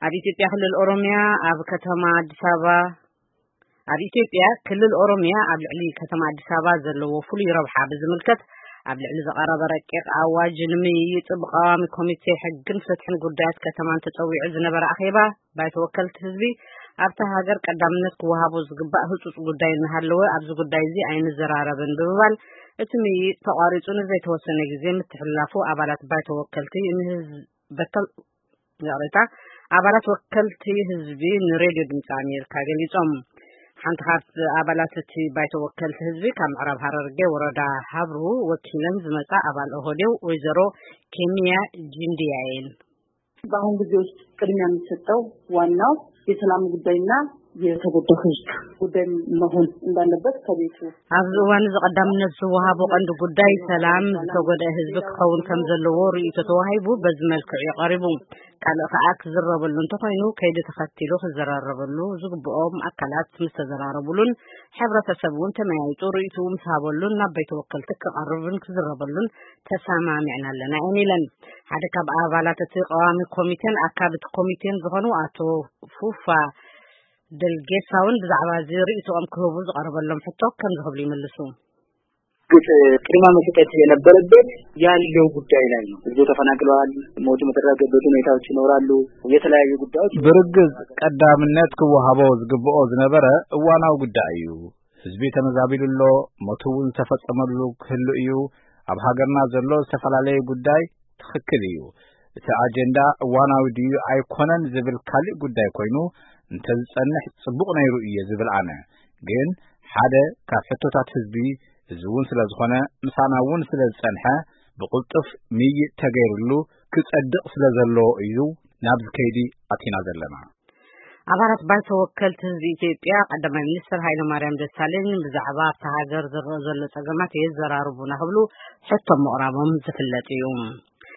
ኣብ ኢትዮጵያ ክልል ኦሮሚያ ኣብ ከተማ ኣዲስ ኣበባ ኣብ ኢትዮጵያ ክልል ኦሮሚያ ኣብ ልዕሊ ከተማ ኣዲስ ኣበባ ዘለዎ ፍሉይ ረብሓ ብዝምልከት ኣብ ልዕሊ ዝቐረበ ረቂቕ ኣዋጅ ንምይይጥ ብቀዋሚ ኮሚቴ ሕግን ፍትሕን ጉዳያት ከተማን ተጸዊዑ ዝነበረ ኣኼባ ባይቶ ወከልቲ ህዝቢ ኣብታ ሃገር ቀዳምነት ክወሃቦ ዝግባእ ህጹጽ ጉዳይ እናሃለወ ኣብዚ ጉዳይ እዚ ኣይንዘራረብን ብምባል እቲ ምይይጥ ተቋሪጹ ንዘይተወሰነ ግዜ ምትሕልላፉ ኣባላት ባይቶ ወከልቲ ንህዝቢ በተል ይቕሬታ፣ ኣባላት ወከልቲ ህዝቢ ንሬድዮ ድምፂ ኣሜሪካ ገሊፆም። ሓንቲ ካብቲ ኣባላት እቲ ባይቶ ወከልቲ ህዝቢ ካብ ምዕራብ ሃረርጌ ወረዳ ሃብሩ ወኪለን ዝመፃ ኣባል ኦህዴው ወይዘሮ ኬንያ ጂንድያ እየን። በአሁን ጊዜ ውስጥ ቅድሚያ የሚሰጠው ዋናው የሰላም ጉዳይና የተጎዳው ህዝብ ጉዳይ መሆን እንዳለበት ከቤቱ ኣብዚ እዋን እዚ ቀዳምነት ዝወሃቦ ቀንዲ ጉዳይ ሰላም ዝተጎድአ ህዝቢ ክኸውን ከም ዘለዎ ርእይቶ ተዋሂቡ በዚ መልክዕ እዩ ቀሪቡ። ካልእ ከኣ ክዝረበሉ እንተኾይኑ ከይዲ ተኸቲሉ ክዘራረበሉ ዝግብኦም ኣካላት ምስ ተዘራረቡሉን ሕብረተሰብ እውን ተመያይጡ ርእይትኡ ምስ ሃበሉን ናብ ቤት ወከልቲ ክቐርብን ክዝረበሉን ተሰማሚዕና ኣለና እየን ኢለን። ሓደ ካብ ኣባላት እቲ ቀዋሚ ኮሚቴን ኣካል እቲ ኮሚቴን ዝኾኑ ኣቶ ፉፋ ደልጌሳ እውን ብዛዕባ እዚ ርእይትኦም ክህቡ ዝቐረበሎም ሕቶ ከምዚ ክብሉ ይምልሱ። ቅድማ መስጠት የነበረበት ያለው ጉዳይ ላይ ነው። ህዝቡ ተፈናቅለዋል። ሞቱ መተረጋገበት ሁኔታዎች ይኖራሉ። የተለያዩ ጉዳዮች ብርግጽ ቀዳምነት ክወሃቦ ዝግብኦ ዝነበረ እዋናዊ ጉዳይ እዩ። ህዝቢ ተመዛቢሉ ኣሎ። ሞቱ እውን ዝተፈጸመሉ ክህሉ እዩ። ኣብ ሃገርና ዘሎ ዝተፈላለየ ጉዳይ ትኽክል እዩ። እቲ ኣጀንዳ እዋናዊ ድዩ ኣይኮነን ዝብል ካልእ ጉዳይ ኮይኑ እንተዝጸንሕ ጽቡቕ ነይሩ እየ ዝብል ኣነ። ግን ሓደ ካብ ሕቶታት ህዝቢ እዚ እውን ስለ ዝኾነ ምሳና እውን ስለ ዝጸንሐ ብቕልጡፍ ምይይጥ ተገይርሉ ክጸድቕ ስለ ዘለዎ እዩ ናብዚ ከይዲ ኣቲና ዘለና። ኣባላት ባይቶ ወከልቲ ህዝቢ ኢትዮጵያ ቀዳማይ ሚኒስትር ሃይለማርያም ደሳለኝ ብዛዕባ ኣብታ ሃገር ዝረኣ ዘሎ ጸገማት የዘራርቡና ክብሉ ሕቶ ምቕራቦም ዝፍለጥ እዩ።